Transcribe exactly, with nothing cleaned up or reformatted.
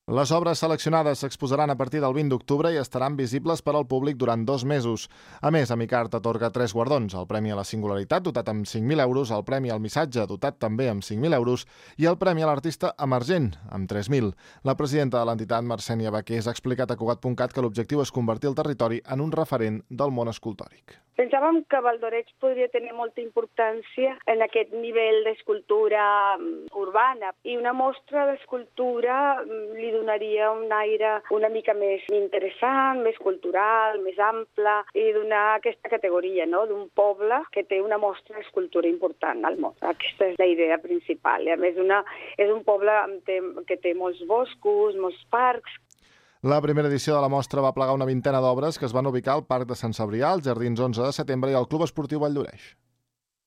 Les obres seleccionades s'exposaran a partir del vint d'octubre i estaran visibles per al públic durant dos mesos. A més, Amicart atorga tres guardons: el Premi a la Singularitat, dotat amb cinc mil euros, el Premi al Missatge, dotat també amb cinc mil euros, i el Premi a l'Artista Emergent, amb tres mil. La presidenta de l'entitat, Marcènia Baqués, ha explicat a Cugat punt cat que l'objectiu és convertir el territori en un referent del món escultòric. Pensàvem que Valdoreig podria tenir molta importància en aquest nivell d'escultura urbana, i una mostra d'escultura li donaria un aire una mica més interessant, més cultural, més ample, i donar aquesta categoria, no?, d'un poble que té una mostra d'escultura important al món. Aquesta és la idea principal. I a més, una, és un poble que té molts boscos, molts parcs. La primera edició de la mostra va plegar una vintena d'obres que es van ubicar al Parc de Sant Cebrià, als Jardins onze de setembre i al Club Esportiu Valldoreix.